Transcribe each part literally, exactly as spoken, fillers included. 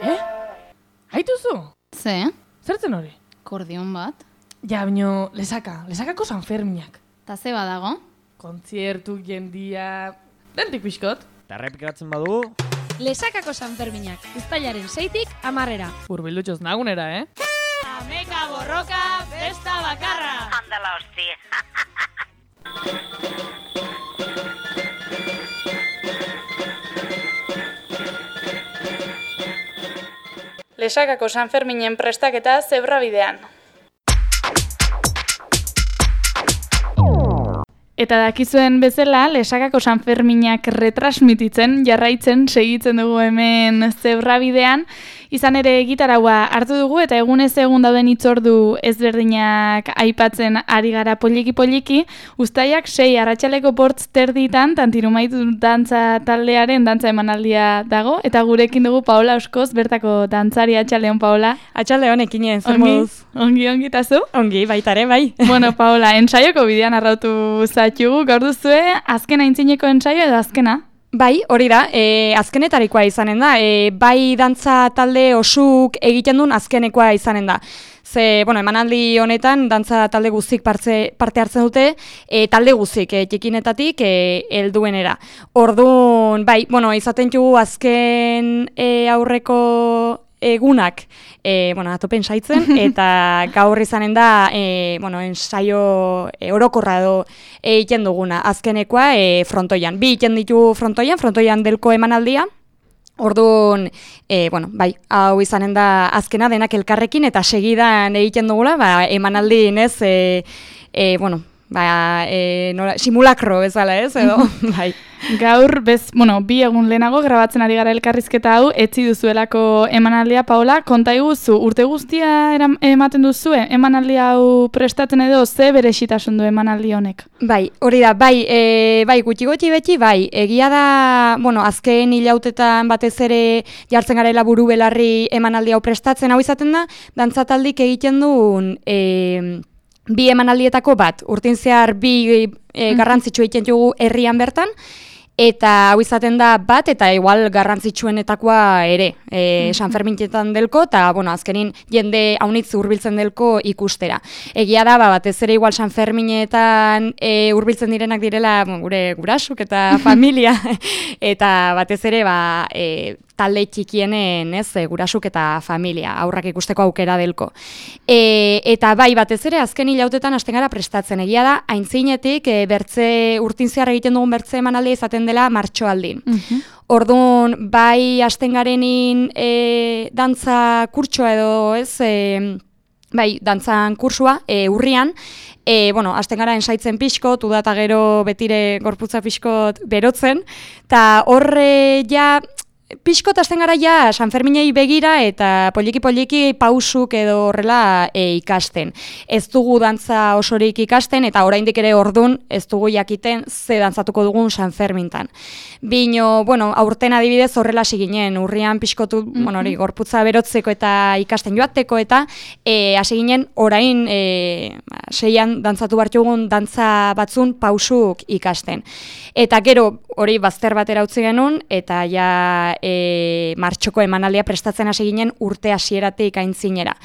Eh? Haituzu? Ze? Zertzen hori? Kordion bat? Ja, baino, lesaka, lesakako San Ferminak. Ta ze badago? Kontziertu, jendia... Dentik pixkot. Eta errepikatzen badu... Lesakako San Ferminak, uztailaren seitik amarrera. Urbildutxoz nagunera, eh? Ameka borroka, besta bakarra! Andala hostia. Lesakako San Ferminen prestaketa zebrabidean. Eta dakizuen bezala, Lesakako San Ferminak retransmititzen, jarraitzen, segitzen dugu hemen zebrabidean. Izan ere gitaraua hartu dugu eta egunez egun dauden hitzordu ezberdinak aipatzen ari gara poliki-poliki. Uztaiak sei arratsaleko bortz terditan, Tantirumaitu dantza taldearen dantza emanaldia dago. Eta gurekin dugu Paola Oskoz, bertako dantzari. Atxaldeon, Paola. Atxaldeon, ekinen, zer ongi, moduz? Ongi, ongi, eta zu? Ongi, baitare, bai. Bueno, Paola, ensaioko bidean arrautu zatxugu, gaur duzue, azkena intzineko ensaio edo azkena? Bai, hori da, e, azkenetarikoa izanen da, e, bai dantza talde osuk egiten duen azkenekoa izanen da. Ze, bueno, emanaldi honetan, dantza talde guztik partze, parte hartzen dute, e, talde guztik, e, txikinetatik, e, helduenera. Orduan, bai, bueno, izaten jugu azken e, aurreko egunak, e, bueno, atopen saitzen, eta gaur izanen da, e, bueno, ensaio e, orokorra edo egiten duguna, azkenekoa e, frontoian. Bi egiten ditu frontoian, frontoian delko emanaldia, orduan, e, bueno, bai, hau izanen da azkena denak elkarrekin, eta segidan egiten dugula, ba, emanaldi, ez, e, e, bueno, ba, e, nola, simulakro bezala, ez, edo, bai. Gaur, bez, bueno, bi egun lehenago grabatzen ari gara elkarrizketa hau, etzi duzuelako emanaldia, Paola, konta iguzu, urte guztia eram, ematen duzue, emanaldia hau prestatzen edo, ze berezitasun du emanaldi honek? Bai, hori da, bai, e, bai, gutxi-gutxi beti, bai, egia da, bueno, azken hilautetan batez ere jartzen garela buru belarri emanaldi hau prestatzen, hau izaten da, dantzataldik egiten duen, e, bi emanaldietako bat, urtin zehar bi e, garrantzitsu egiten dugu herrian bertan, eta hau izaten da bat, eta igual garrantzitsuenetakoa ere, e, San Ferminetan delko, eta bueno, azkenin jende haunitz hurbiltzen delko ikustera. Egia da, ba, batez ere igual San Ferminetan e, hurbiltzen direnak direla bon, gure gurasuk eta familia, eta batez ere ba, e, talde txikienen, ez, gurasuk eta familia, aurrak ikusteko aukera delko. E, eta bai, batez ere, azken hilautetan hasten gara prestatzen. Egia da, aintzinetik, e, bertze, urtin zehar egiten dugun bertze emanaldia izaten dela martxoaldin. Uh-huh. Orduan, bai, hasten garenin e, dantza kurtsoa edo, ez, e, bai, dantzan kursua, e, urrian, E, bueno, hasten gara ensaitzen pixkot, uda eta gero betire gorputza pixkot berotzen, eta horre ja, pixkot hasten gara ja San Ferminei begira eta poliki-poliki pausuk edo horrela e, ikasten. Ez dugu dantza osorik ikasten eta oraindik ere ordun ez dugu jakiten ze dantzatuko dugun San Fermintan. Bino, bueno, aurten adibidez horrela siginen, urrian pixkotu, mm-hmm. bueno, hori, gorputza berotzeko eta ikasten joateko eta e, hasi ginen orain e, seian dantzatu bartugun dantza batzun pausuk ikasten. Eta gero hori bazter batera utzi genuen eta ja e, martxoko emanaldia prestatzen hasi ginen urte hasieratik aintzinera.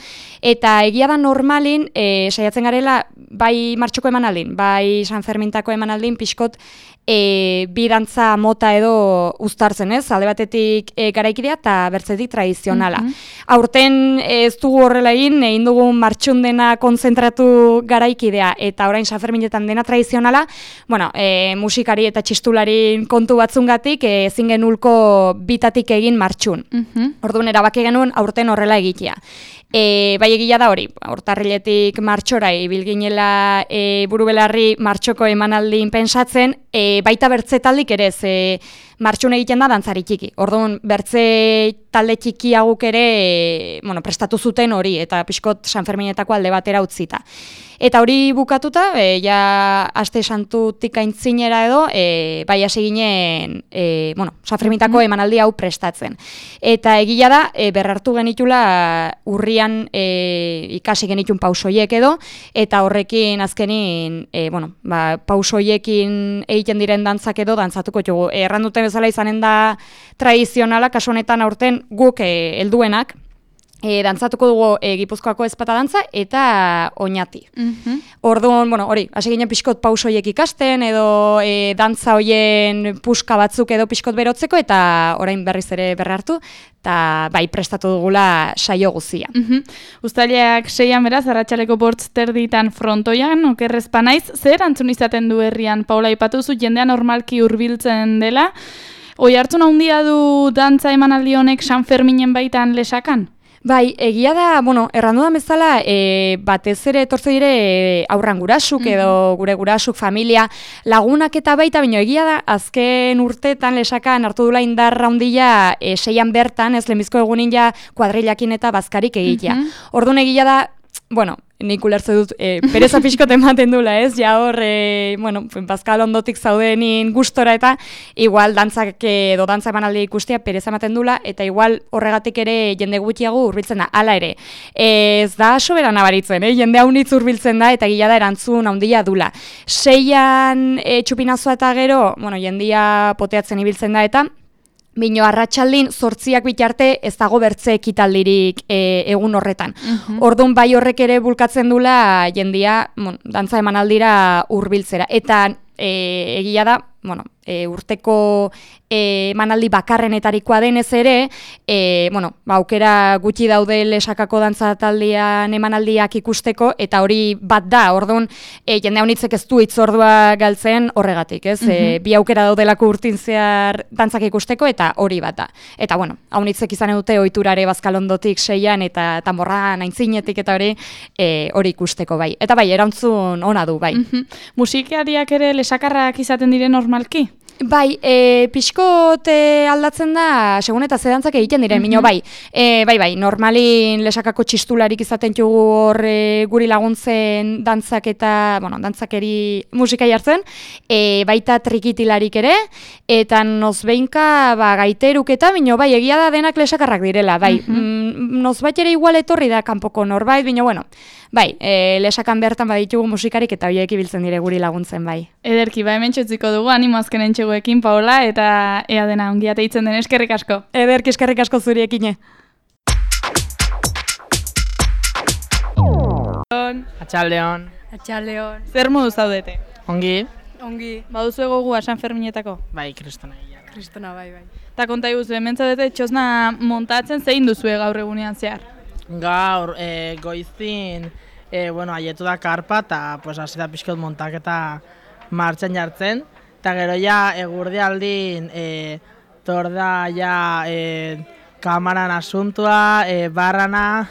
Eta egia da normalin e, saiatzen garela bai martxoko emanaldin, bai San Fermintako emanaldin pixkot e, bi dantza mota edo uztartzen, ez? Alde batetik e, garaikidea eta bertzetik tradizionala. Mm-hmm. Aurten ez dugu horrela egin, egin dugun martxun dena konzentratu garaikidea eta orain San Ferminetan dena tradizionala, bueno, e, musikari eta txistularien kontu batzungatik ezin genulko bitatik egin martxun. Mm-hmm. Orduan erabaki genuen aurten horrela egitea. E, bai egia da hori, urtarriletik martxora ibil ginela e, burubelarri martxoko emanaldin pentsatzen, e, baita bertze taldik ere ze martxun egiten da dantzari txiki. Orduan bertze talde txikiaguk ere e, bueno, prestatu zuten hori eta pixkot San Ferminetako alde batera utzita. Eta hori bukatuta, e, ja aste santutik aintzinera edo, e, bai hasi ginen e, bueno, San Ferminetako emanaldi hau prestatzen. Eta egia da, e, berrartu genitula urria garaian e, ikasi genitun pausoiek edo, eta horrekin azkenin, e, bueno, ba, pausoiekin egiten diren dantzak edo dantzatuko jugu. Erran duten bezala izanen da tradizionala, kasu honetan aurten guk e, helduenak, E, dantzatuko dugu e, Gipuzkoako ezpata dantza eta oñati. Mhm. Orduan, bueno, hori, hasi ginen pixkot pausoiek ikasten edo e, dantza hoien puska batzuk edo pixkot berotzeko eta orain berriz ere berra hartu eta bai prestatu dugula saio guzia. Mhm. Uztailak seian beraz, arratsaleko bortz terditan frontoian, okerrezpa naiz, zer antzun izaten du herrian, Paula, aipatu zu jendea normalki hurbiltzen dela, oi hartzun handia du dantza emanaldi honek San Ferminen baitan Lesakan? Bai, egia da, bueno, errandudan bezala, e, batez ere etortze dire e, aurran gurasuk edo gure gurasuk, familia, lagunak eta baita, baina egia da, azken urteetan Lesakan hartu dula indarra handia e, seian bertan, ez lehenbizko egunin ja kuadrilakin eta bazkarik egitea. Orduan egia da, bueno, nik ulertze dut, e, pereza pixkot ematen dula, ez? Ja hor, e, bueno, bazkal ondotik zaudenin gustora eta igual dantzak edo dantza emanaldi ikustea pereza ematen dula eta igual horregatik ere jende gutxiago hurbiltzen da. Hala ere, e, ez da sobera nabaritzen, eh? Jende haunitz hurbiltzen da eta gila da erantzun handia dula. Seian e, txupinazoa eta gero, bueno, jendia poteatzen ibiltzen da eta bino arratsaldin zortziak bitarte ez dago bertze ekitaldirik e, egun horretan. Mhm. Orduan bai horrek ere bulkatzen dula jendia, bueno, dantza emanaldira hurbiltzera. Eta e, egia da, bueno, e, urteko e, emanaldi bakarrenetarikoa denez ere, e, bueno, ba, aukera gutxi daude Lesakako dantza taldean emanaldiak ikusteko, eta hori bat da, orduan, e, jende haunitzek ez du itzordua galtzen horregatik, ez? Mhm. E, bi aukera daudelako urtin zehar dantzak ikusteko, eta hori bat da. Eta, bueno, haunitzek izan dute ohiturare bazkalondotik seian, eta tanborran aintzinetik, eta hori e, hori ikusteko bai. Eta bai, erantzun ona du, bai. Mhm. Musikariak ere Lesakarrak izaten dire normalki? Bai, e, pixkot e, aldatzen da, segun eta zedantzak egiten diren, Mhm. mino bai. E, bai, bai, normalin Lesakako txistularik izaten jugu hor e, guri laguntzen dantzak eta, bueno, dantzakeri musika jartzen, e, baita trikitilarik ere, eta nozbeinka ba, gaiteruk eta, mino bai, egia da denak Lesakarrak direla, bai. Mhm. Mm, nozbait ere igual etorri da kanpoko norbait, bino, bueno, bai, e, Lesakan bertan baditugu musikarik eta horiek ibiltzen dire guri laguntzen, bai. Ederki, ba hemen txotziko dugu, animo azken entxeguekin, Paola, eta ea dena ongi ateitzen den, eskerrik asko. Ederki eskerrik asko zuriekine. Atxaldeon. Atxaldeon. Zer modu zaudete? Ongi? Ongi. Baduzu egogua San Ferminetako? Bai, kristona. Kristona, bai, bai. Eta konta iguzu, hemen zaudete txosna montatzen zein duzue gaur egunean zehar? Gaur, e, goizin, e, bueno, aietu da karpa, eta pues, hasi da pixkot montaketa martxan jartzen. Eta gero ja, egurdi aldin, e, torda ja e, kamaran asuntua, e, barrana,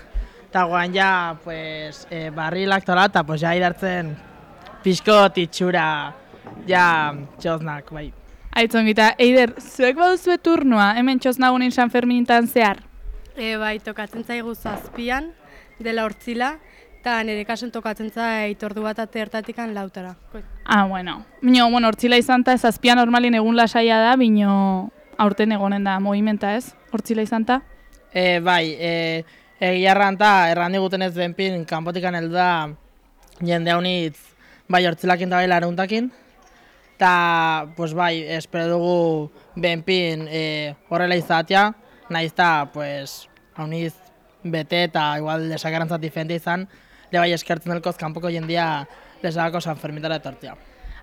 eta guan ja, pues, e, barrilak tola, eta pues, ja idartzen pixkot itxura, ja, txosnak, bai. Aitzongita, Eider, zuek baduzue turnoa, hemen txosnagunin San Ferminetan zehar? E, bai, tokatzen zaigu zazpian, dela hortzila, eta nire kasun tokatzen zait ordu bat atertatikan lautara. Ah, bueno. Bino, bueno, hortzila izan ta, zazpia normalin egun lasaia da, bino aurten egonen da movimenta, ez? Hortzila izan ta? E, bai, e, egia erranta, erran diguten ez benpin, kanpotikan heldu da jende haunitz, bai, hortzilakin da bai laruntakin. Eta, pues bai, espero dugu benpin e, horrela izatea, nahiz eta, pues, hauniz bete eta igual Lesakarantzat diferente izan, le bai eskertzen delkoz kanpoko jendia Lesakako San Fermitara etortzea.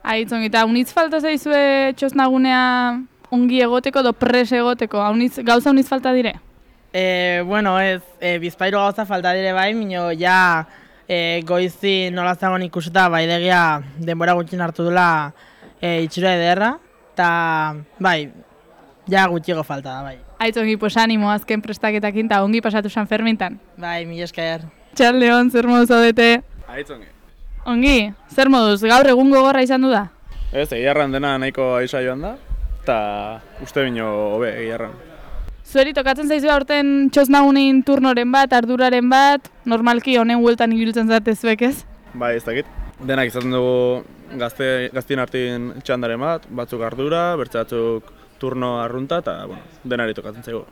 Aitzongita, unitz falta zaizue txosnagunea ongi egoteko edo pres egoteko, haunitz, gauza unitz falta dire? E, bueno, ez, e, bizpairu gauza falta dire bai, mino ja e, goizi nola zagon ikuseta baidegia denbora gutxin hartu dula e, itxura ederra, eta bai, ja gutxigo falta da, bai. Aitzongi, pues animo azken prestaketakin eta ongi pasatu San Fermintan. Bai, mila esker. Txaldeon, zer moduz zaudete? Aitzongi. Ongi, zer moduz, gaur egun gogorra izan du da? Ez, egiarran dena nahiko aiza joan da, eta uste bino hobe egiarran. Zueri tokatzen zaizu aurten txosnagunin turnoren bat, arduraren bat, normalki honen hueltan ibiltzen zate zuek ez? Bai, ez dakit. Denak izaten dugu gazte, gaztien artin txandaren bat, batzuk ardura, bertze batzuk turno arrunta, eta bueno, denari tokatzen zaigu.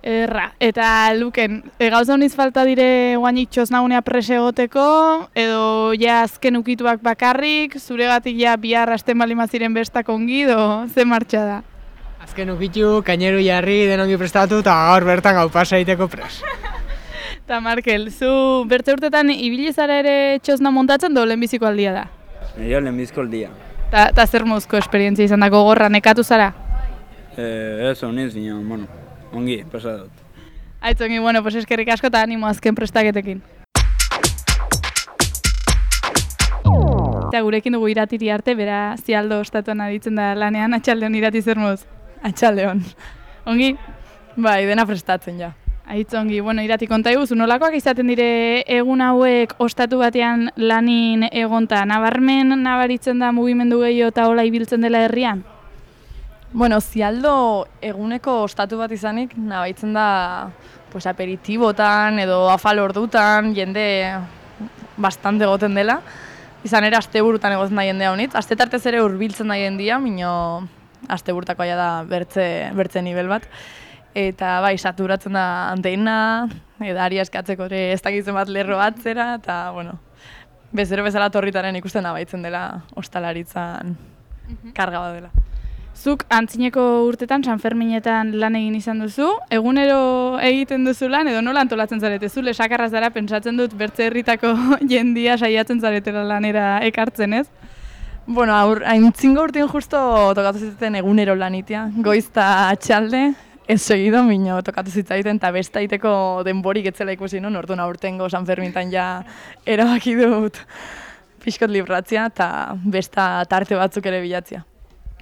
Erra, eta Luken, e, gauza honiz falta dire guainik txosnagunea prese egoteko, edo ja azken ukituak bakarrik, zuregatik ja bihar asten balimaziren bestak ongi, edo ze martxa da? Azken ukitu, kaineru jarri, denongi prestatu, eta gaur bertan gau pasa egiteko pres. Eta Markel, zu bertze urtetan ibili zara ere txosna montatzen, do lehenbiziko aldia da? Jo, lehenbiziko aldia. Eta zer mozko esperientzia izan da gogorra, nekatu zara? Eh, ez, honiz, baina, bueno, ongi, pasa dut. Aitz ongi, bueno, pues eskerrik asko eta animo azken prestaketekin. Eta gurekin dugu Iratiri arte, bera Zialdo ostatuan aditzen da lanean, atxaldeon Irati zer moz? Atxaldeon. Ongi? Bai, dena prestatzen ja. Aitz ongi, bueno, Irati konta iguzu, nolakoak izaten dire egun hauek ostatu batean lanin egonta, nabarmen nabaritzen da mugimendu gehiago eta hola ibiltzen dela herrian? Bueno, Zialdo eguneko ostatu bat izanik, nabaitzen da pues, aperitibotan edo afal ordutan, jende bastante egoten dela. Izan ere, asteburutan egoten da jendea honitz. Astetartez ere hurbiltzen da jendea, minio asteburtakoa da bertze, bertze nivel bat. Eta bai, saturatzen da anteina, edari eskatzeko ere ez dakitzen bat lerro bat zera, eta bueno, bezero bezala torritaren ikusten nabaitzen dela ostalaritzan karga bat dela. Zuk antzineko urtetan, San Ferminetan lan egin izan duzu, egunero egiten duzu lan, edo nola antolatzen zarete? Zu lesakarra zara, pentsatzen dut bertze herritako jendia saiatzen zaretela lanera ekartzen, ez? Bueno, aur, aintzingo urtean justo tokatu zitzaten egunero lanitia, goizta atxalde, ez segido, minio tokatu zitzaiten, eta bestaiteko denborik etzela ikusi, no? Orduan aurtengo San Ferminetan ja erabaki dut pixkot libratzia, eta besta tarte batzuk ere bilatzia.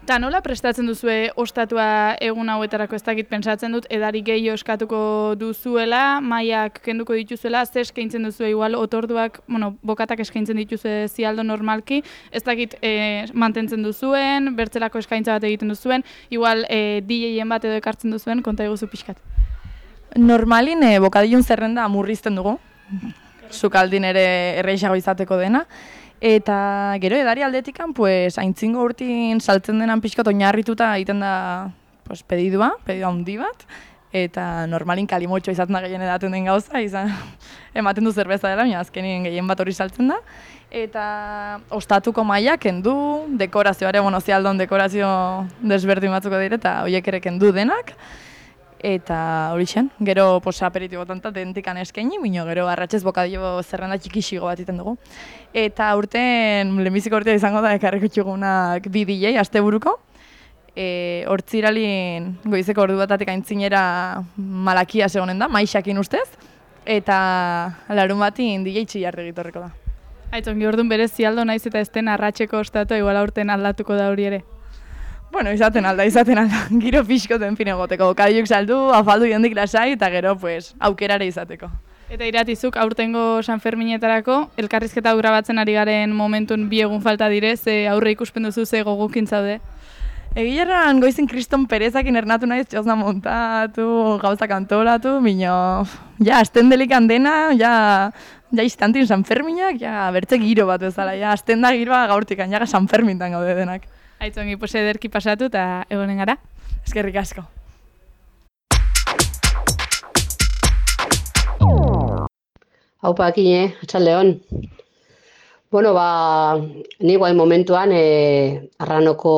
Eta nola prestatzen duzue ostatua egun hauetarako, ez dakit pentsatzen dut, edari gehiago eskatuko duzuela, mailak kenduko dituzuela, ze eskaintzen duzue igual otorduak, bueno, bokatak eskaintzen dituzue Zialdo normalki, ez dakit e, mantentzen duzuen, bertzelako eskaintza bat egiten duzuen, igual e, D J-en bat edo ekartzen duzuen, konta eguzu pixkat. Normalin e, bokadilun zerrenda murrizten dugu, sukaldin ere erreixago izateko dena, eta gero edari aldetikan, pues, aintzingo urtin saltzen denan pixkot oinarrituta egiten da pues, pedidua, pedidua handi bat, eta normalin kalimotxo izaten da gehien edaten den gauza, izan ematen du zerbeza dela, baina azkenin gehien bat hori saltzen da. Eta ostatuko maila kendu, dekorazioare, bueno, Zialdon dekorazio desberdin batzuko dire, eta horiek ere kendu denak. Eta hori zen, gero posa aperitibotan eta dentikan eskaini, bino gero arratxez bokadillo zerrenda txikixigo bat iten dugu. Eta urten, lehenbiziko urtea izango da, ekarriko txugunak bi D J, asteburuko. E, hortziralin goizeko ordu batatik aintzinera malakia segonen da, maixakin ustez. Eta larun batin D J txillarde egitorreko da. Aitzongi, orduan berez Zialdo naiz eta ezten arratxeko ostatu, igual aurten aldatuko da hori ere. Bueno, izaten alda, izaten alda, giro pixkoten fin egoteko, bokadiluk saldu, afaldu jondik lasai, eta gero, pues, aukerare izateko. Eta Iratizuk aurtengo San Ferminetarako, elkarrizketa grabatzen ari garen momentun bi egun falta dire, ze aurre ikuspen duzu ze gogukin zaude? Egileran goizin Kriston Perezakin ernatu naiz, txosna montatu, gauzak antolatu, bino, ja, azten delikan dena, ja, ja istantin San Ferminak, ja, bertze giro bat bezala, ja, azten da giroa gaurtikan, ja, San Fermintan gaude denak. Aitzongi, pues ederki pasatu eta egonen gara. Eskerrik asko. Haupa, Akine, atxaldeon. Bueno, ba, ni guain momentuan e, Arranoko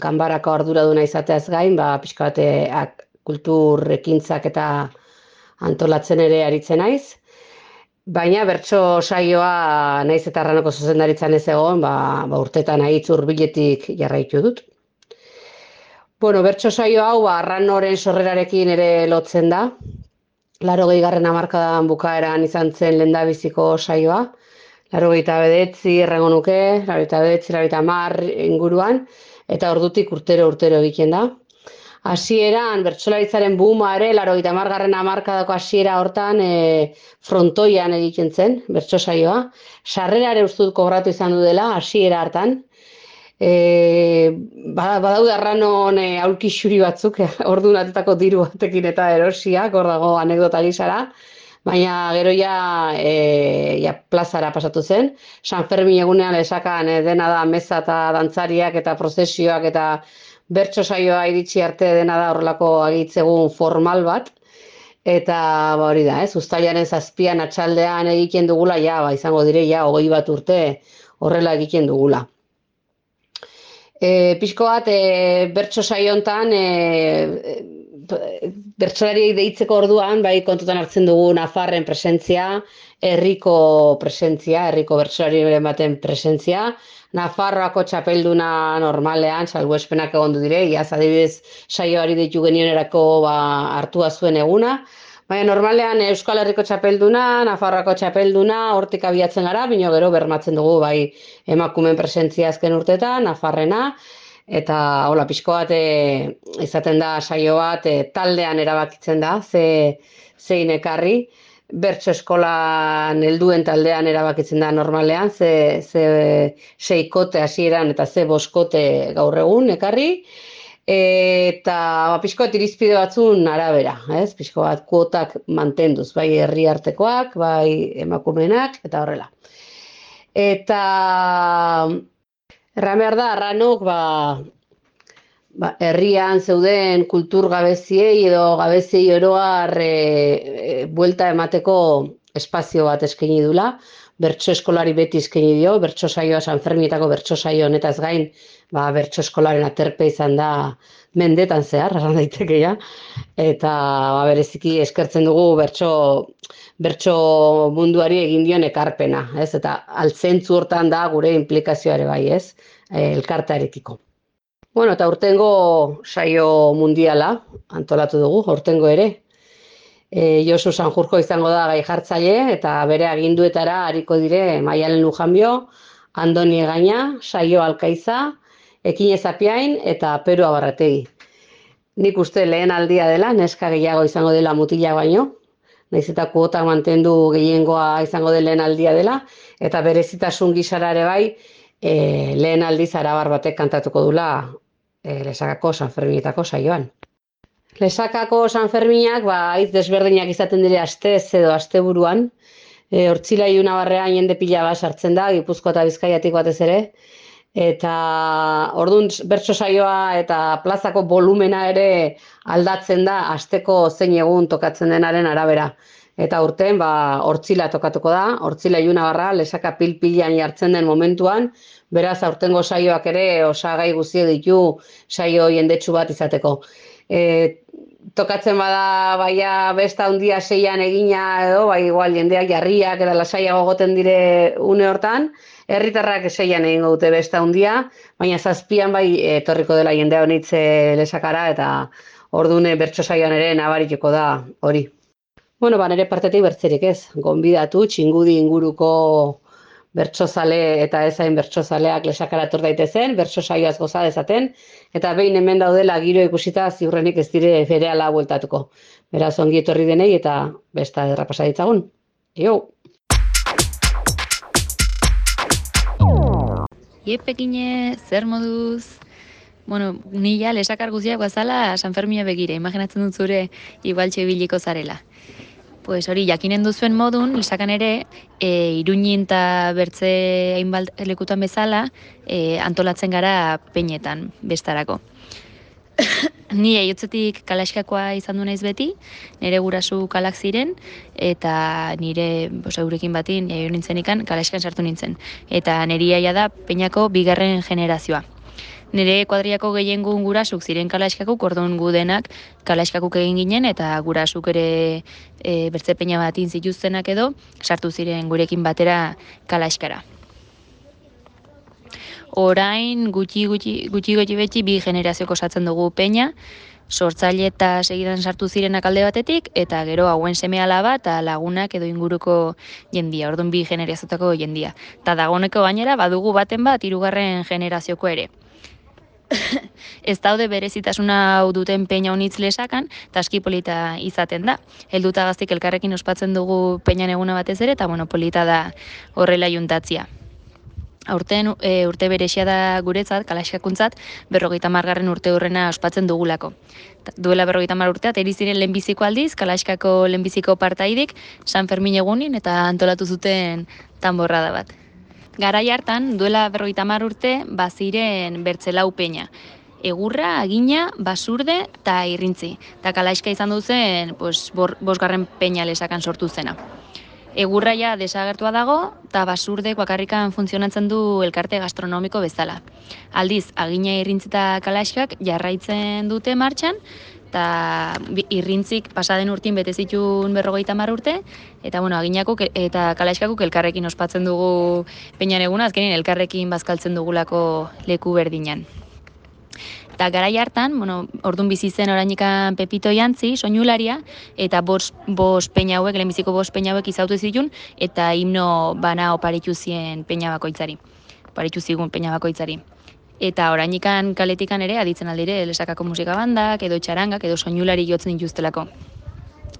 ganbarako arduraduna izateaz gain, ba, pixka bat kultur ekintzak eta antolatzen ere aritzen naiz. Baina bertso saioa naiz eta Arranoko zuzendaritzan ez egon, ba, ba urtetan ahitz hurbiletik jarraitu dut. Bueno, bertso saio hau ba, Arranoren sorrerarekin ere lotzen da. Laurogei garren hamarkadan bukaeran izan zen lehendabiziko saioa. Laurogeita bederatzi errango nuke, laurogeita bederatzi, laurogeita hamar inguruan, eta ordutik urtero urtero egiten da. Hasieran bertsolaritzaren booma ere, laurogeita hamargarren hamarkadako hasiera hortan e, frontoian egiten zen, bertso saioa. Sarrera ere uste dut kobratu izan du dela, hasiera hartan. E, badaude Arranon e, aulki xuri batzuk, ordunatutako diru batekin eta erosiak, hor dago anekdota gisara. Baina gero ja, e, ja plazara pasatu zen. San Fermin egunean esakan e, dena da meza eta dantzariak eta prozesioak eta bertso saioa iritsi arte dena da horrelako agitzegun formal bat, eta ba, hori da, ez, uztailaren zazpian atxaldean egiten dugula, ja, ba, izango dire, ja, hogei bat urte horrela egiten dugula. E, pixko bat, e, bertso saio hontan, e, bertsolariei deitzeko orduan, bai kontutan hartzen dugu Nafarren presentzia, herriko presentzia, herriko bertsolariren baten presentzia, Nafarroako txapelduna normalean, salbuespenak egondu dire, iaz adibidez saioari deitu genionerako ba, hartua zuen eguna, baina normalean Euskal Herriko txapelduna, Nafarroako txapelduna, hortik abiatzen gara, bino gero bermatzen dugu bai emakumeen presentzia azken urteetan, Nafarrena, eta hola, pixko bat e, izaten da saio bat e, taldean erabakitzen da, ze, zein ekarri, bertso eskolan helduen taldean erabakitzen da normalean, ze, ze seikote hasieran eta ze boskote gaur egun ekarri, eta ba, pixko bat irizpide batzun arabera, ez? Pixko bat kuotak mantenduz, bai herri artekoak, bai emakumeenak, eta horrela. Eta erran behar da, arranok, ba, ba, herrian zeuden kultur gabeziei edo gabeziei oroar e, e, buelta emateko espazio bat eskaini dula, bertso eskolari beti eskaini dio, bertso saioa San Ferminetako bertso saio honetaz gain, ba, bertso eskolaren aterpe izan da mendetan zehar, erran daiteke ja, eta ba, bereziki eskertzen dugu bertso, bertso munduari egin dion ekarpena, ez? Eta altzentzu hortan da gure implikazioare bai, ez? Elkartearekiko. Bueno, eta urtengo saio mundiala antolatu dugu, urtengo ere. E, Josu Sanjurjo izango da gai jartzaile eta bere aginduetara hariko dire Maialen Lujanbio, Andoni Egaña, Saio Alkaiza, Ekine Zapiain eta Peru Abarrategi. Nik uste lehen aldia dela, neska gehiago izango dela mutila baino, nahiz eta kuotak mantendu gehiengoa izango den lehen aldia dela, eta berezitasun gisara ere bai, e, lehen aldiz arabar batek kantatuko dula e, Lesakako San Ferminetako saioan. Lesakako San Ferminak, ba, hitz desberdinak izaten dire astez edo asteburuan, e, Hortzila Ilunabarrean jende pila bat sartzen da, Gipuzkoa eta Bizkaiatik batez ere, eta orduan bertso saioa eta plazako volumena ere aldatzen da asteko zein egun tokatzen denaren arabera. Eta urten, ba, Hortzila tokatuko da, Hortzila Ilunabarra, Lesaka pil-pilan jartzen den momentuan, beraz aurtengo saioak ere osagai guztiek ditu saio jendetsu bat izateko. E, tokatzen bada baia besta handia seian egina edo, bai igual jendeak jarriak eta lasaiago goten dire une hortan, herritarrak seian egingo dute besta handia, baina zazpian bai etorriko dela jendea honitze Lesakara eta ordune bertso saioan ere nabarituko da hori. Bueno, ba, nire partetik bertzerik ez, gonbidatu txingudi inguruko bertsozale eta ezain bertsozaleak Lesakara etor daitezen, bertso saioaz goza dezaten, eta behin hemen daudela giro ikusita ziurrenik ez dire berehala bueltatuko. Beraz ongi etorri denei eta besta ederra pasa ditzagun. Jo! Iepekine, zer moduz? Bueno, ni ja Lesakar guztiak bazala San Fermina begira, imaginatzen dut zure igual txebiliko zarela. Pues hori, jakinen duzuen modun, Lesakan ere, e, Iruñin eta bertze hainbat lekutan bezala, e, antolatzen gara peinetan, bestarako. Ni aiotzetik Kalaxkakoa izan du naiz beti, nire gurasu kalak ziren, eta nire eurekin batin, jaio nintzenikan, Kalaxkan sartu nintzen. Eta niri aia da peinako bigarren generazioa. Nire kuadriako gehiengun gurasuk ziren Kalaxkakuk, orduan gu denak Kalaxkakuk egin ginen, eta gurasuk ere e, bertze peina batin zituztenak edo, sartu ziren gurekin batera Kalaxkara. Orain gutxi gutxi gutxi gutxi betxi bi generazioko osatzen dugu peina, sortzaile eta segidan sartu zirenak alde batetik, eta gero hauen seme alaba eta lagunak edo inguruko jendia, orduan bi generaziotako jendia. Ta dagoeneko gainera badugu baten bat hirugarren generazioko ere. Ez daude berezitasuna hau duten peina honitz Lesakan, eta aski polita izaten da. Helduta gaztik elkarrekin ospatzen dugu peinan eguna batez ere, eta bueno, polita da horrela juntatzia. Aurten e, urte berexia da guretzat, Kalaxkakuntzat, berrogeita margarren urte hurrena ospatzen dugulako. Duela berrogeita mar urteat, eriziren lehenbiziko aldiz, Kalaxkako lehenbiziko partaidik, San Fermin egunin eta antolatu zuten tanborrada bat. Garai hartan, duela berrogeita hamar urte, baziren bertzelau peina. egurra, agina, basurde eta irrintzi. Eta kalaiska izan duzen, pues, bor, bosgarren peña lesakan sortu zena. Egurra ja desagertua dago, eta basurde bakarrikan funtzionatzen du elkarte gastronomiko bezala. Aldiz, agina, irrintzi eta kalaiskak jarraitzen dute martxan, eta irrintzik pasaden urtin bete zituen berrogeita hamar urte, eta bueno, aginako eta kalaiskakuk elkarrekin ospatzen dugu peñan eguna, azkenin elkarrekin bazkaltzen dugulako leku berdinan. Eta garai hartan, bueno, ordun bizi zen orainikan Pepito Jantzi, soinularia, eta bost bos peña hauek, lehenbiziko bost peña hauek izautu zituen, eta himno bana oparitu zien peña bakoitzari. Oparitu zigun peña bakoitzari. Eta orainikan kaletikan ere aditzen aldire Lesakako musika bandak, edo txarangak, edo soinulari jotzen dituztelako.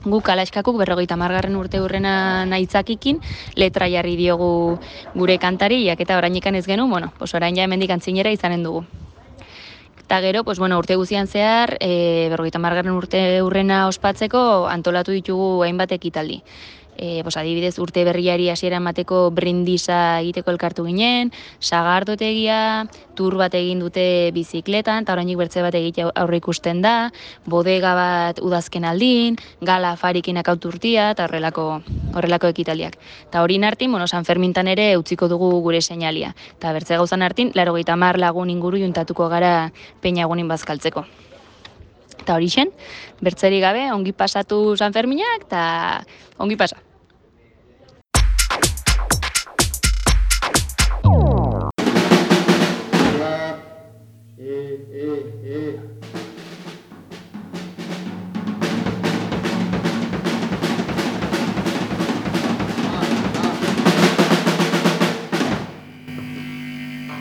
Guk kalaiskakuk berrogeita hamargarren urte hurrena naitzakikin letra jarri diogu gure kantariak, eta orainikan ez genuen, bueno, pues orain ja hemendik antzinera izanen dugu. Eta gero, pues, bueno, urte guzian zehar, e, berrogeita hamargarren urte hurrena ospatzeko antolatu ditugu hainbat ekitaldi. E, pues, adibidez, urte berriari hasiera emateko brindisa egiteko elkartu ginen, sagardotegia, tur bat egin dute bizikletan, eta orainik bertze bat egite aurre ikusten da, bodega bat udazken aldin, gala afarikin akauturtia, eta horrelako, horrelako ekitaldiak. Eta hori nartin, bueno, San Fermintan ere utziko dugu gure seinalia. Eta bertze gauzan hartin, laurogeita hamar lagun inguru juntatuko gara peña egunin bazkaltzeko. Eta hori zen, bertzeri gabe, ongi pasatu San Ferminak, eta ongi pasa.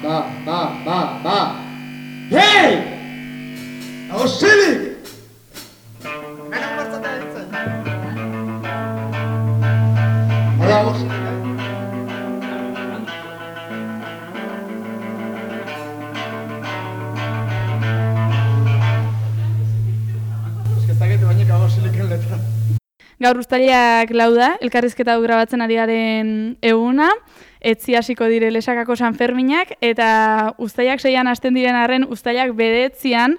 Ba, ba, ba, ba. Hei! Ausilik! Hemen bartzata ditzen. Hala, ausilik. Eskeztakete bainek ausilik letra. Gaur uztailak lau da, elkarrizketa hau grabatzen ari garen eguna, etzi hasiko dire Lesakako San Ferminak, eta uztailak seian hasten diren arren, uztailak bedetzian,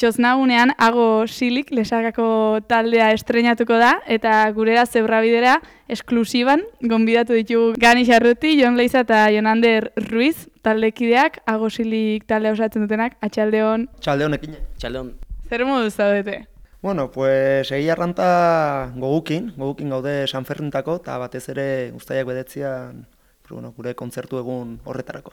txosnagunean, Ago Silik Lesakako taldea estreinatuko da, eta gurera zebrabidera esklusiban, gonbidatu ditugu Gani Xarruti, Jon Leiza eta Jonander Ruiz, taldekideak, Ago Silik taldea osatzen dutenak, atxaldeon. Atxaldeon ekine. Atxaldeon. Zer moduz zaudete? Bueno, pues egia arranta gogukin, gogukin gaude San Fermintako, eta batez ere uztailak bedetzian, bueno, gure kontzertu egun horretarako.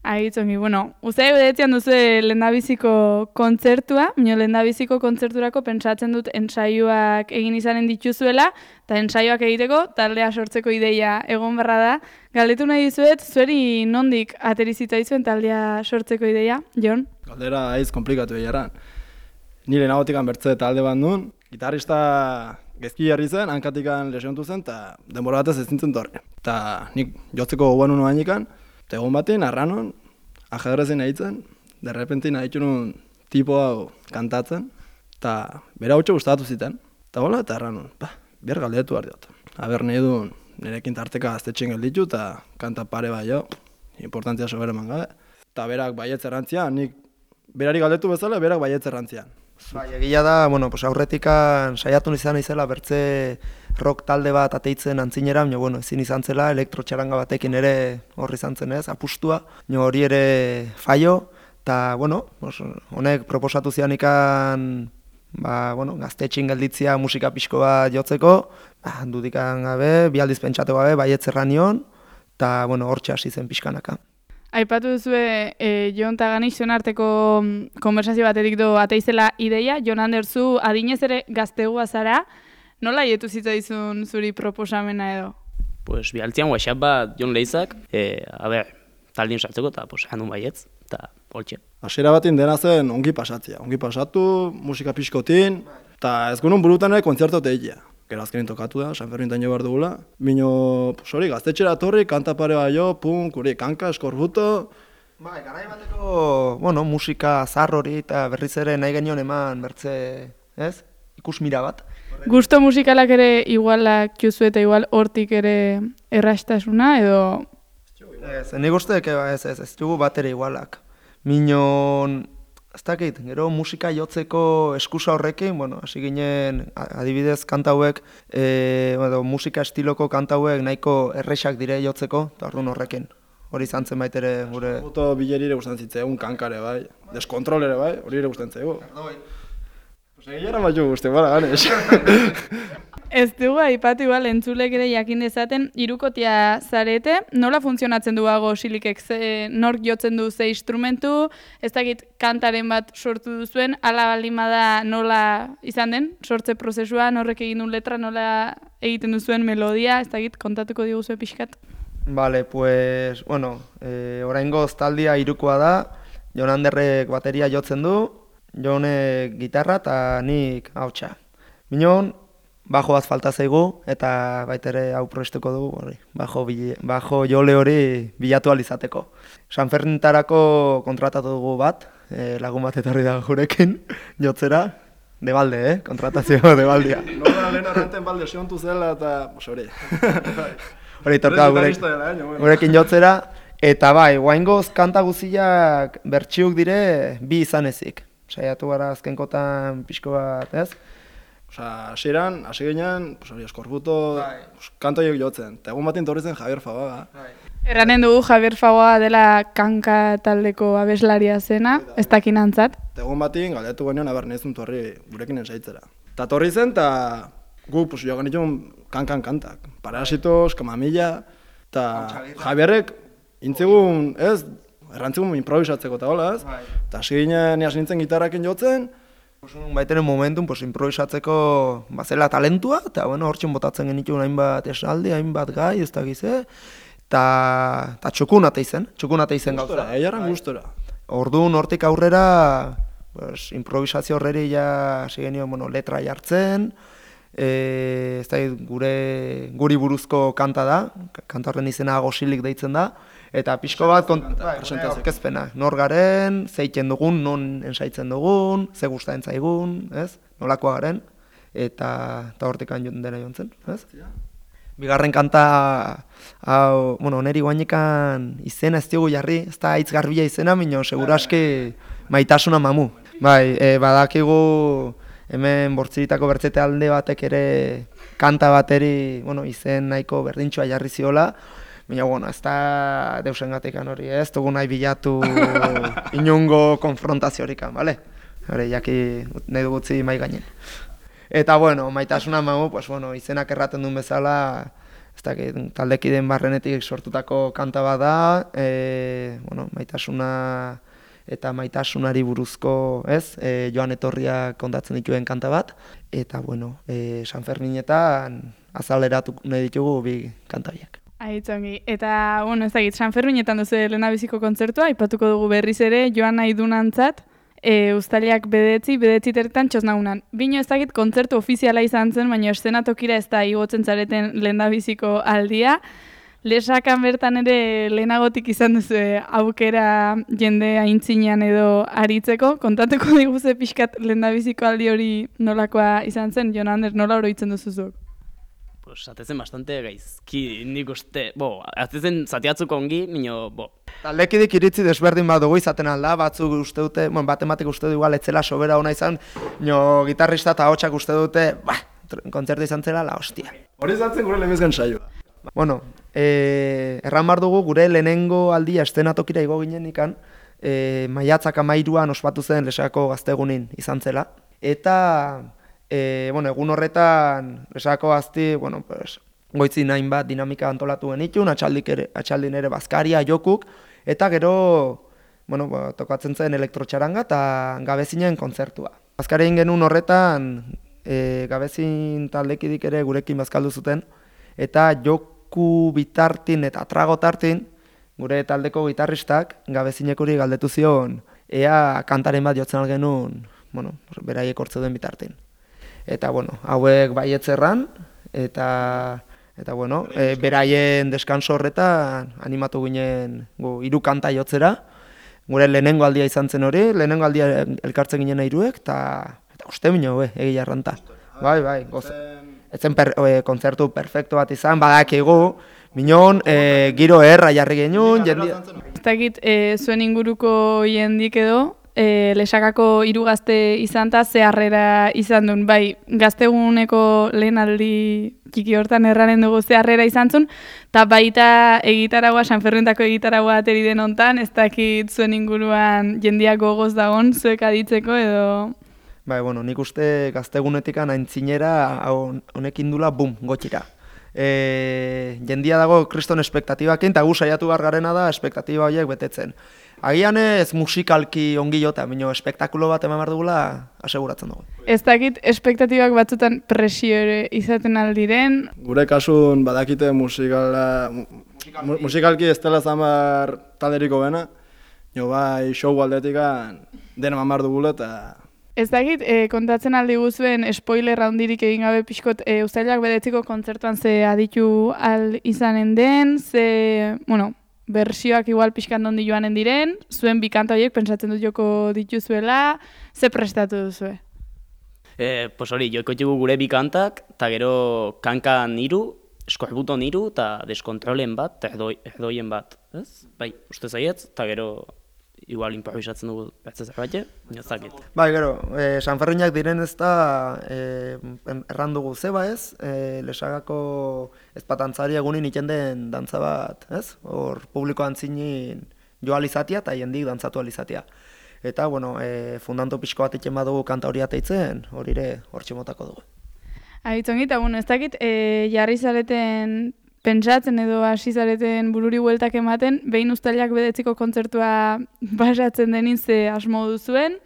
Agitzongi, bueno, uztailak bedetzian duzu lehendabiziko kontzertua, mino lehendabiziko kontzerturako pentsatzen dut ensaioak egin izanen dituzuela, eta ensaioak egiteko taldea sortzeko ideia egon barra da. Galdetu nahi dizuet, zueri nondik aterizita izuen taldea sortzeko ideia, Jon? Galdera aiz komplikatu egiaran. Nire nagotikan bertze talde bat nuen, gitarrista gezki jarri zen, hankatikan lesiontu zen, eta denbora batez ez zintzen torri. Eta nik jotzeko gogoan nuen hainekan, eta egon batean, arranon, ajedrezin egitzen, derrepentin haitxu nuen tipo hau kantatzen, eta bera hutxe gustatu ziten. Eta hola, eta arranon, ba, behar galdetu behar diot. Aber nahi duen, nirekin tarteka gaztetxen gelditu, eta kanta pare bai jo, importantzia sobera eman gabe. Eta berak baietz errantzian, nik berari galdetu bezala, berak baietz errantzian. Bai, egia da, bueno, pues aurretikan saiatu izan izela bertze rock talde bat ateitzen antzinera, baina bueno, ezin izan zela, elektrotxaranga batekin ere horri izan zen ez, apustua, baina hori ere faio, eta bueno, pues, honek proposatu zian ikan, ba, bueno, gaztetxin gelditzia musika pixko bat jotzeko, ba, dudikan gabe, bi aldiz pentsatu gabe, baietzerra nion, eta bueno, hortxe hasi zen pixkanaka. Aipatu duzue, e, Jon eta Gani zuen arteko konversazio batetik do ateizela ideia, Jon Anderzu adinez ere gaztegua zara, nola hietu zitzaizun zuri proposamena edo? Pues bialtzian WhatsApp bat Jon Leizak, e, a ber, taldin sartzeko eta pues, handun baietz, eta holtxe. Hasiera batin dena zen ongi pasatzea, ongi pasatu, musika pixkotin, eta ez gunun burutan ere kontzertot egitea. Gero azkenin tokatu da, San Fermintan jo behar dugula. Bino, hori, gaztetxera torri, kanta pare bai jo, punk, hori, kanka, eskorbuto. Bai, garai bateko, bueno, musika zar hori eta berriz ere nahi genion eman bertze, ez? Ikusmira bat. Gusto musikalak ere igualak juzu eta igual hortik ere errastasuna edo... Ez, nik uste, ez, ez, ez dugu bat ere igualak. Minon, ez dakit, gero musika jotzeko eskusa horrekin, bueno, hasi ginen, adibidez, kanta hauek, e, edo, musika estiloko kanta hauek nahiko errexak dire jotzeko, eta orduan horrekin. Hori izan zen baitere gure... Moto bileri ere gustatzen zitzaigun kankare bai, deskontrol ere bai, hori ere gustatzen zaigu. Pues egia bat jo guzti, bara, ganes. Ez dugu aipatu igual entzulek ere jakin dezaten, hirukotea zarete, nola funtzionatzen duago silikek, ze, nork jotzen du ze instrumentu, ez dakit kantaren bat sortu duzuen, ala baldin bada nola izan den, sortze prozesua, norrek egin du letra, nola egiten duzuen melodia, ez dakit kontatuko diguzue pixkat. Vale, pues, bueno, e, oraingoz taldia hirukoa da, Jon Anderrek bateria jotzen du, Jonek gitarra eta nik hautsa. Minon, bajo bat falta zaigu eta baitere hau proestuko dugu, hori, bajo, bajo jole hori bilatu alizateko. San Fernintarako kontratatu dugu bat, e, lagun bat etorri da gurekin, jotzera, de balde, eh? Kontratazio de baldia. Nola lehen arrenten balde siontu zela eta, hori. Hori torka gurekin jotzera, eta bai, guaingoz kanta guziak bertsiuk dire bi izan ezik. Saiatu gara azkenkotan pixko bat, ez? Osa, hasieran, hasi ginen, hori, eskorbuto, kantoiek jotzen. Eta egun batin torri zen Javier Fabaga. Erranen dugu Javier Fabaga dela kanka taldeko abeslaria zena, ez dakin antzat. Eta egun batin, galdetu genion, aber nizun torri gurekin ensaitzera. Eta torri zen, eta gu, pues, joan genitun kankan kantak. Parasitos, Kamamilla, eta Javierrek intzigun, ez, errantzigun improvisatzeko eta hola, ez? Eta hasi ginen, niaz nintzen gitarrakin jotzen. Baiteren momentun, pues, improvisatzeko bazela talentua, eta bueno, hortxen botatzen genituen hainbat esaldi, hainbat gai, ez da gize, eta txukun ate izen, txukun ate izen gauza. Gustora, eiarran gustora. Orduan hortik aurrera, pues, improvisazio horreri ja hasi genio, bueno, letra jartzen, e, ez da gure, guri buruzko kanta da, kanta horren izena Gosilik deitzen da, eta pixko bat aurkezpena, nor garen, zeiten dugun, non ensaitzen dugun, ze gustatzen zaigun, ez? Nolakoa garen, eta eta hortik dena jontzen, ez? Bigarren kanta, hau, bueno, neri guainekan izena ez diogu jarri, ez da hitz garbila izena, minio, seguraski Maitasuna Mamu. Bai, e, badakigu hemen Bortziritako bertzete alde batek ere kanta bateri, bueno, izen nahiko berdintxoa jarri ziola, baina, bueno, ez da deusengatekan hori, ez dugu nahi bilatu inungo konfrontazioarikan, bale? Hore, jaki nahi dugutzi mai gainen. Eta, bueno, Maitasuna Mamu, pues, bueno, izenak erraten duen bezala, ez dakit, taldekideen barrenetik sortutako kanta bat da, e, bueno, Maitasuna eta maitasunari buruzko, ez, e, joan etorriak kontatzen dituen kanta bat, eta, bueno, e, San Ferminetan azaleratu nahi ditugu bi kanta biak. Aitzongi, eta, bueno, ez dakit, San Ferminetan duzu lehendabiziko kontzertua, aipatuko dugu berriz ere, joan nahi dunantzat, e, ustailak bedetzi, bedetzi tertan txosnagunan. Bino ez dakit, kontzertu ofiziala izan zen, baina eszenatokira ez da igotzen zareten lehendabiziko aldia. Lesakan bertan ere lehenagotik izan duzu aukera jende aintzinean edo aritzeko. Kontatuko diguze pixkat lehendabiziko aldi hori nolakoa izan zen, Jon Ander, nola oroitzen duzuzuk? Pues, atezen bastante gaizki, nik uste, bo, atezen zatiatzuk ongi, minio, bo. Taldekidik iritzi desberdin bat dugu izaten alda, batzuk uste dute, bueno, batematik uste du igual etzela sobera ona izan, nio gitarrista eta hotxak uste dute, ba, kontzertu izan zela la hostia. Hori izan zen gure lehenbizkan saioa. Bueno, e, erran bar dugu gure lehenengo aldia estenatokira igo ginen ikan, e, maiatzak amairuan ospatu zen Lesakako gaztegunin izan zela. Eta, e, bueno, egun horretan Lesakako gazti, bueno, pues, goitzin hainbat dinamika antolatu genitun, atxaldin ere bazkaria, jokuk, eta gero, bueno, ba, tokatzen zen elektrotxaranga eta gabezinen kontzertua. Bazkarien genuen horretan, e, gabezin taldekidik ere gurekin bazkaldu zuten, eta joku bitartin eta trago tartin, gure taldeko gitarristak gabezinekuri galdetu zion, ea kantaren bat jotzen algenun, bueno, beraiek hortzeuden bitartin. Eta, bueno, hauek baietzerran, eta, eta bueno, e, beraien deskanso horretan animatu ginen gu, hiru kanta jotzera, gure lehenengo aldia izan zen hori, lehenengo aldia elkartzen ginen hiruek, eta, eta uste bine, egia erranta. Bai, bai, goza. Etzen per, e, kontzertu perfecto bat izan, badakigu, minon, e, giro erra jarri genuen, jendia. Ez dakit, e, zuen inguruko jendik edo, e, lesakako hiru gazte izan ta ze harrera izan duen, bai, gazteguneko lehen aldi txiki hortan erranen dugu ze harrera izan zuen, eta baita egitaragua, Sanfermintako egitaragua ateri den hontan, ez dakit zuen inguruan jendiak gogoz dagon, zuek aditzeko edo... Bai, bueno, nik uste gaztegunetikan aintzinera honekin dula, bum, gotxira. E, jendia dago kriston espektatibakin, eta gu saiatu behar garena da espektatiba horiek betetzen. Agian ez musikalki ongi jota, baina espektakulo bat eman behar dugula aseguratzen dugu. Ez dakit espektatibak batzutan presio ere izaten aldiren. Gure kasun badakite musikala, mu, musikalki ez dela zamar talderiko bena, jo bai show aldetikan dena eman behar dugula eta... Ez dakit, e, kontatzen aldi guzuen spoiler handirik egin gabe pixkot e, Uztailak bedetziko kontzertuan ze aditu al izanen den, ze, bueno, bersioak igual pixkan dondi joanen diren, zuen bi kanta horiek pentsatzen dut joko dituzuela, ze prestatu duzue? E, pues hori, joko ditugu gure bi kantak, eta gero kankan hiru, eskorbuton hiru, eta deskontrolen bat, eta erdoi, erdoien bat, ez? Bai, uste zaietz, eta gero... igual improvisatzen dugu bertze zerbait, nozakit. Bai, gero, e, Sanferminak diren ez da e, erran dugu zeba ez, e, Lesagako ezpatantzari egunin iten den dantza bat, ez? Hor publiko antzinin jo alizatia eta jendik dantzatu alizatia. Eta, bueno, e, fundanto pixko bat itzen badugu kanta hori ateitzen, hori ere hor txemotako dugu. Ahitzongi, eta bueno, ez dakit, e, jarri zareten pentsatzen edo hasi zareten bururi bueltak ematen, behin Uztailak bedetziko kontzertua basatzen denin ze asmo duzuen,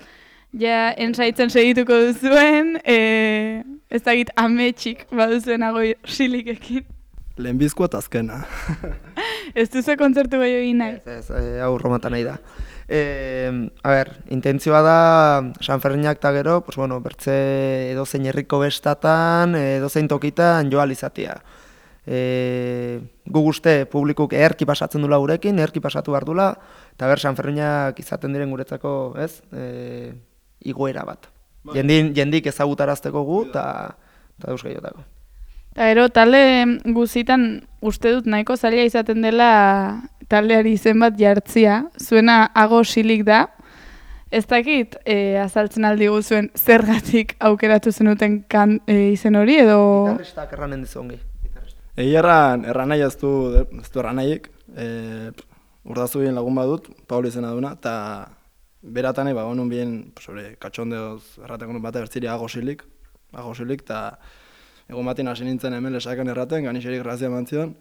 ja ensaitzen segituko duzuen, e, ez dakit ametxik baduzuen agoi silikekin. Lehenbizkoa eta azkena. Ez duzu kontzertu gehiago egin nahi? Ez, ez, e, hau romanta nahi da. E, a ber, intentzioa da Sanferminak eta gero, pues bueno, bertze edozein herriko bestatan, edozein tokitan joa alizatia. E, gu guzte publikuk eherki pasatzen dula gurekin, eherki pasatu behar dula, eta ber, Sanferminak izaten diren guretzako, ez, e, igoera bat. Jendin, jendik ezagutarazteko gu, eta euskal jotako. Eta ero, talde guzitan uste dut nahiko zaila izaten dela taldeari izen bat jartzia, zuena ago silik da, ez dakit e, azaltzen aldi guzuen zergatik aukeratu zenuten kan, e, izen hori, edo... Gitarristak erranen dizu ongi. Egi erran, erran nahi ez du, ez du erran nahiek, e, urdazu bien lagun badut, Pauli izena duna, eta beratan nahi, ba, honun bien, sobre, katxondeoz erraten gondun bate bertziri agosilik, agosilik, eta egun batin hasi nintzen hemen Lesakan erraten, ganixerik grazia mantzion,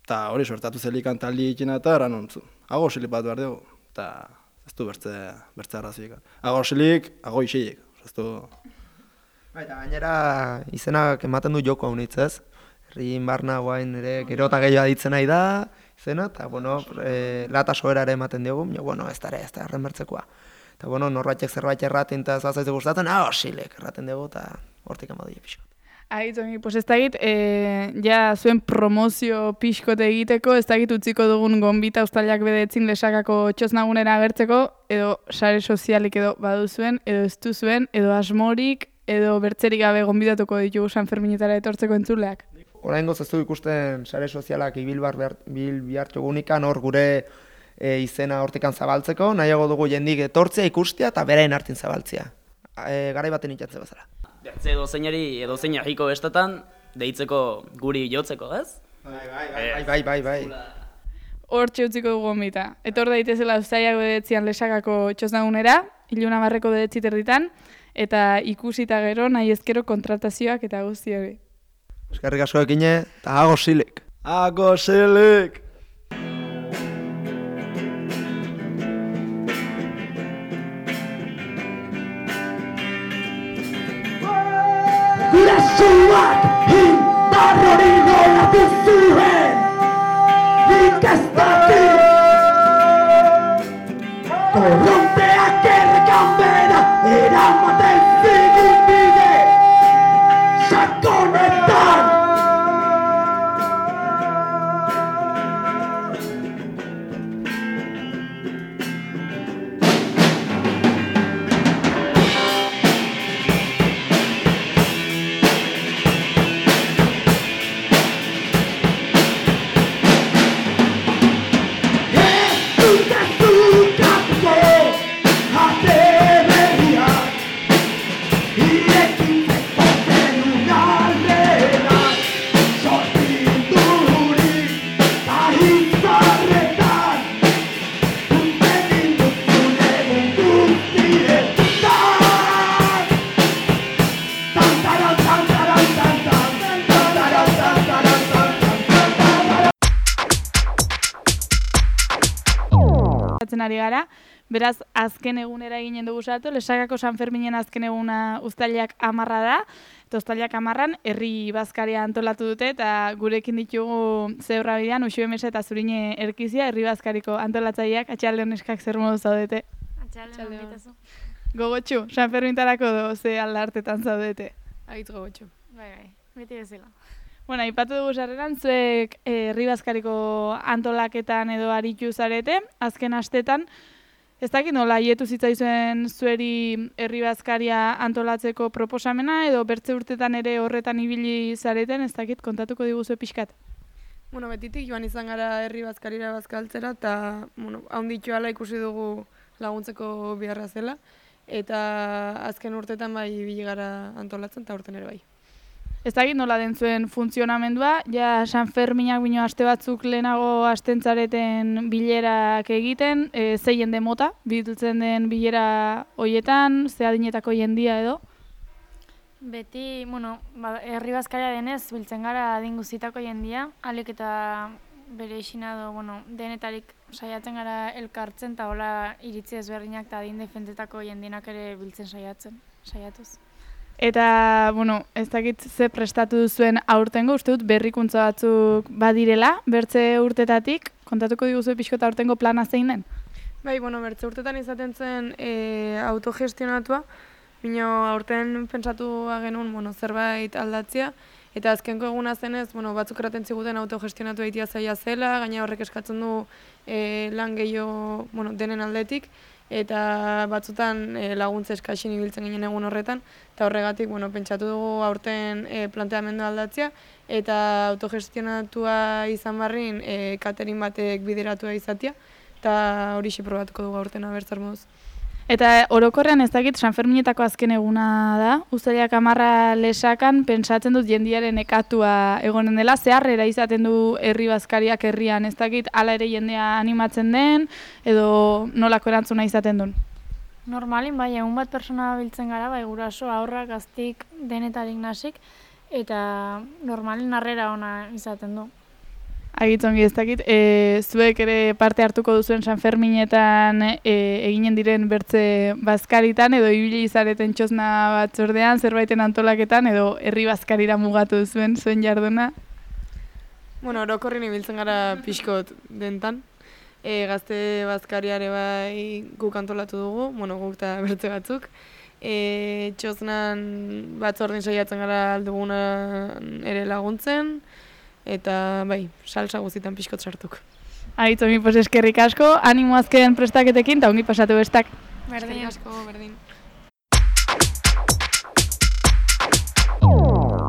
eta hori suertatu zelikan taldi ikina eta erran hontzu, agosilik bat behar dugu, eta ez du bertze, bertze arraziek. Agosilik, agoixilik, ez du... Eta gainera izenak ematen du joko haunitz, ez? Herrin barna guain ere gero eta gehiago aditzen nahi da, izena, eta, bueno, e, lata soera ere ematen diogu, jo, bueno, ez da ere, ez da erren bertzekoa. Eta, bueno, norbaitek zerbait erraten eta zazaizu gustatzen, ah, osilek erraten dugu, eta hortik amadu pixko. Ahitzongi, pues ez dakit, e, ja zuen promozio pixkote egiteko, ez dakit utziko dugun gonbita Uztailak bedetzin Lesakako txosnagunera agertzeko, edo sare sozialik edo baduzuen, edo ez duzuen, edo asmorik, edo bertzerik gabe gonbidatuko ditugu Sanferminetara etortzeko entzuleak. Oraingoz ez du ikusten sare sozialak ibil bihartu gunikan hor gure e, izena hortikan zabaltzeko, nahiago dugu jendik etortzea ikustea eta berain hartin zabaltzea. E, garai baten itxatze bezala. Bertze edozeinari edozein herriko bestetan deitzeko guri jotzeko, ez? Bai, bai, bai, bai, bai, bai. Hortxe utziko dugu gonbita. Etor daitezela Uztailak bedetzian Lesakako txosnagunera, iluna barreko bedetzi terditan, eta ikusita gero nahi ezkero kontratazioak eta guzti hori. Eskerrik asko ekine, eta ago silik. Ago silik! Gurasoak indar hori nolatu zuen, nik ez dakit. Korronteak errekan bera eramaten zigun bide, sakonetan. ari gara, beraz azken egunera eginen dugu salto, Lesakako San Ferminen azken eguna uztailak hamarra da, eta uztailak hamarran herri bazkaria antolatu dute, eta gurekin ditugu Zebra bidean, Uxue Mesa eta Zurine Erkizia, herri bazkariko antolatzaileak, atxaldeon neskak zer modu zaudete? Atxaldeon, bitazu. Gogotxu, San Fermintarako do, ze aldartetan zaudete? Agitz gogotxu. Bai, bai, beti bezala. Bueno, aipatu dugu sarreran, zuek herri bazkariko antolaketan edo aritu zarete, azken astetan, ez dakit nola hietu zitzaizuen zueri herri bazkaria antolatzeko proposamena, edo bertze urtetan ere horretan ibili zareten, ez dakit kontatuko diguzue pixkat? Bueno, betitik joan izan gara herri bazkarira bazkaltzera, eta bueno, haunditu ala ikusi dugu laguntzeko biharra zela, eta azken urtetan bai ibili gara antolatzen, eta urten ere bai. Ez dakit nola den zuen funtzionamendua, ja San Ferminak bino aste batzuk lehenago astentzareten bilerak egiten, e, ze jende mota, biltzen den bilera hoietan, ze adinetako jendia edo? Beti, bueno, ba, herri bazkaria denez, biltzen gara adin guztietako jendia, alik eta bere isina do, bueno, denetarik saiatzen gara elkartzen, eta hola iritzi ezberdinak eta adin defentetako jendienak ere biltzen saiatzen, saiatuz. Eta, bueno, ez dakit ze prestatu duzuen aurtengo, uste dut berrikuntza batzuk badirela, bertze urtetatik, kontatuko diguzu pixko eta aurtengo plana zein den? Bai, bueno, bertze urtetan izaten zen e, autogestionatua, bino aurten pentsatu genuen, bueno, zerbait aldatzea, eta azkenko eguna zenez, bueno, batzuk eraten ziguten autogestionatu egitea zaila zela, gaina horrek eskatzen du e, lan gehiago, bueno, denen aldetik, eta batzutan e, laguntza eskaxin ibiltzen ginen egun horretan, eta horregatik, bueno, pentsatu dugu aurten e, planteamendu aldatzea, eta autogestionatua izan barrin e, catering batek bideratua izatea, eta hori probatuko dugu aurten abertzar moduz. Eta orokorrean ez dakit San Ferminetako azken eguna da, uztailak hamarra Lesakan, pentsatzen dut jendiaren ekatua egonen dela, zeharrera izaten du herri bazkariak herrian, ez dakit hala ere jendea animatzen den, edo nolako erantzuna izaten duen? Normalin, bai, egun bat persona biltzen gara, bai, guraso, aurrak, gaztik, denetarik nasik, eta normalin harrera ona izaten du. Agitzongi ez dakit, e, zuek ere parte hartuko duzuen San Ferminetan e, eginen diren bertze bazkaritan, edo ibili izareten txosna batzordean, zerbaiten antolaketan, edo herri bazkarira mugatu duzuen zuen jarduna? Bueno, orokorrin ibiltzen gara pixkot dentan. E, gazte bazkariare bai guk antolatu dugu, bueno, guk eta bertze batzuk. E, txosnan batzordin saiatzen gara aldugunan ere laguntzen, eta bai, salsa guztietan pixkot sartuk. Agitzongi, pues eskerrik asko, animo azken prestaketekin, eta ongi pasatu bestak. Berdin asko, berdin.